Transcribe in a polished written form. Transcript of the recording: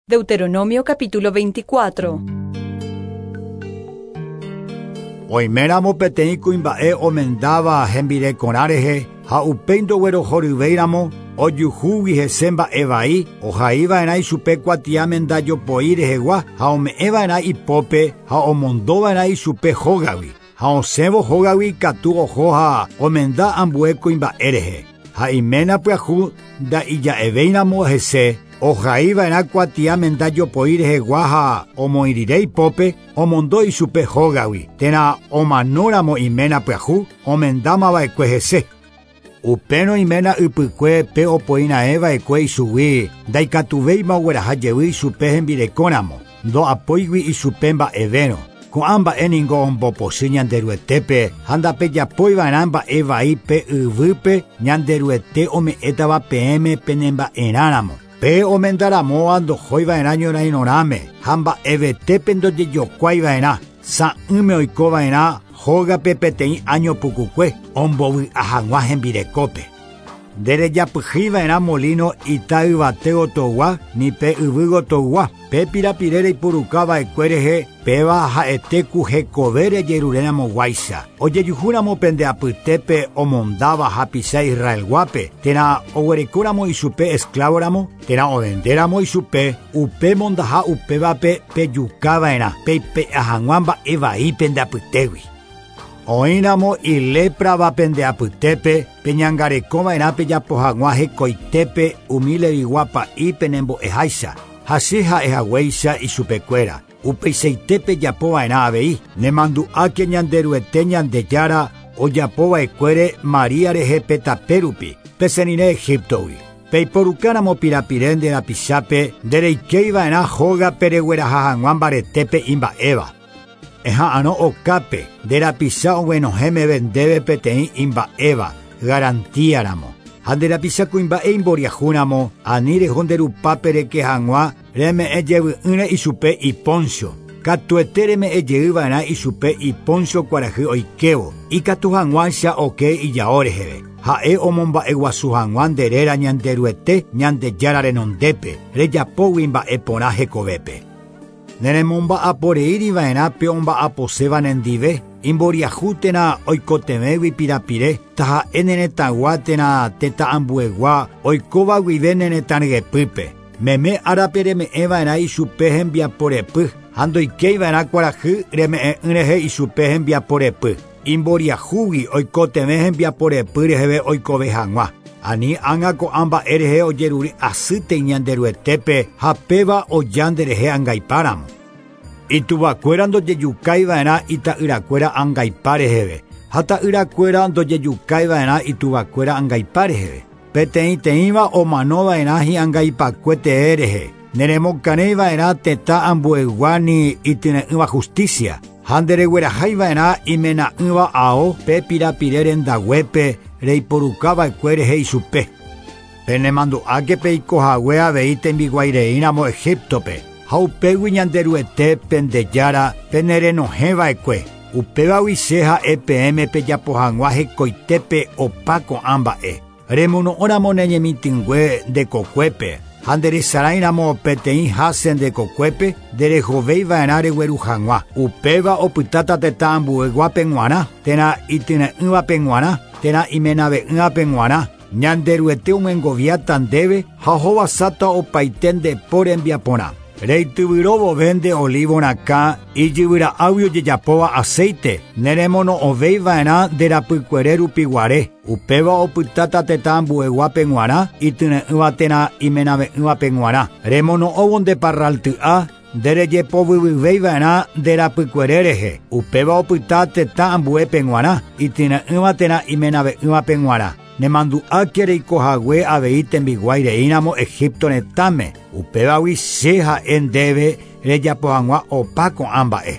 Deuteronomio capítulo 24. Oiméramo peteĩ kuimba'e omendáva hembirekorã rehe ha upéi ndoguerohoryvéiramo ojuhúgui hese mba'e vai ohaiva'erã ichupe kuatia mendajopoi rehegua ha ome'ẽva'erã ipópe ha omondova'erã ichupe hógagui ha osẽvo hógagui katu oho ha omenda ambue kuimba'e rehe ha iména pyahu nda'ija'evéiramo hese ohaiva'erã kuatia mendajopoi rehegua ha omoĩrire ipópe omondo ichupe hógagui térã omanóramo iména pyahu omendámava'ekue hese. Upérõ iména ypykue pe opoira'ẽva'ekue ichugui ndaikatuvéima ogueraha jey ichupe hembirekóramo ndo'apóigui ichupe mba'evérõ. Ko'ã mba'e ningo ombopochy Ñanderuetépe ha ndapejapóiva'erã mba'e vai pe yvýpe Ñanderuete ome'ẽtava peẽme penemba'erãramo. Pe omendaramóva ndohóiva'erã ñorairõrãme ha mba'evetépe ndojejokuáiva'erã sa'ỹme oikova'erã hógape peteĩ año pukukue ombovy'a hag̃ua hembirekópe. Nderejapyhýiva'erã molino ita yvate gotogua ni pe yvy gotogua pe pirapire reipurukava'ekue rehe péva ha'ete ku hekove rejerureramoguáicha. Ojejuhúramo pende apytépe omondáva hapicha Israelguápe térã oguerekóramo ichupe esclavoramo térã ovendéramo ichupe upe mondaha upévape pejukava'erã peipe'a hag̃ua mba'e vai pende apytégui. Oĩramo iléprava pende apytépe peñangarekova'erã pejapo hag̃ua hekoitépe umi levigua pa'i penembo'eháicha ha che ha'ehaguéicha ichupekuéra. Upeichaite pejapova'erã avei nemandu'áke Ñanderuete Ñandejára ojapova'ekuére Maria rehe pe tape rupi pesẽrire Egiptogui. Peiporukáramo pirapire nde rapichápe ndereikéiva'erã hógape regueraha hag̃ua mbaretépe imba'éva. Eha'arõ okápe nde rapicha oguenohẽ ndéve peteĩ imba'éva garantiaramo. Ha nde rapicha kuimba'e imboriahúramo ani reho nde rupápe reke hag̃ua reme'ẽ jevy'ỹre ichupe iponcho. Katuete reme'ẽ jeyva'erã ichupe iponcho kuarahy oikévo ikatu hag̃uáicha oke ijao reheve. Ha'e omomba'eguasu hag̃ua nde réra Ñanderuete Ñandejára renondépe rejapógui mba'e porã hekovépe. Neremomba'aporeíriva'erã pe omba'aposéva nendive imboriahu térã oikotevẽgui pirapire taha'e ne retãgua térã tetã ambuegua oikóva guive ne retã ryepýpe. Meme árape reme'ẽva'erã ichupe hembiaporepy ha ndoikéiva'erã kuarahy reme'ẽ'ỹ rehe ichupe hembiaporepy. Imboriahúgui oikotevẽ hembiaporepy reheve oikove hag̃ua. Ani ág̃a ko'ã mba'e rehe ojerure asýte Ñanderuetépe ha péva oja nderehe angaipáramo. Ituvakuéra ndojejukáiva'erã ita'yrakuéra angaipa reheve ha ta'yrakuéra ndojejukáiva'erã ituvakuéra angaipa reheve. Peteĩteĩva omanova'erã hi'angaipakue tee rehe. Neremokarẽiva'erã tetã ambuegua ni ityre'ỹva justicia. Ha nderegueraháiva'erã imena'ỹva ao pe pirapire rendaguépe reiporukava'ekue rehe ichupe. Penemandu'áke peikohague avei tembiguaireíramo Egiptope ha upégui Ñanderuete pendejára penerenohẽva'ekue. Upévagui che ha'e peẽme pejapo hag̃ua hekoitépe opa ko'ã mba'e. Remono'õramo ne ñemitỹngue ndekokuépe ha nderesarãiramo peteĩ háse ndekokuépe nderehovéiva'erã regueru hag̃ua. Upéva opytáta tetã ambueguápe g̃uarã térã ityre'ỹvape g̃uarã térã imenave'ỹvape g̃uarã. Ñanderuete omyengoviáta ndéve ha ohovasáta opaite ndepo rembiaporã. Reityvyróvove nde olivo rakã ijyvyra'águi ojejapóva aceite neremono'õvéiva'erã nde rapykuere rupiguare. Upéva opytáta tetã ambueguápe g̃uarã ityre'ỹva térã imenave'ỹvape g̃uarã. Remono'õvo nde parralty'a nderejepovyvyvéiva'erã nde rapykuere rehe. Upéva opyta tetã ambuépe g̃uarã ityre'ỹva térã imenave'ỹvape g̃uarã. Nemandu'áke reikohague avei tembiguaireíramo Egipto retãme. Upévagui che ha'e ndéve rejapo hag̃ua opa ko'ã mba'e.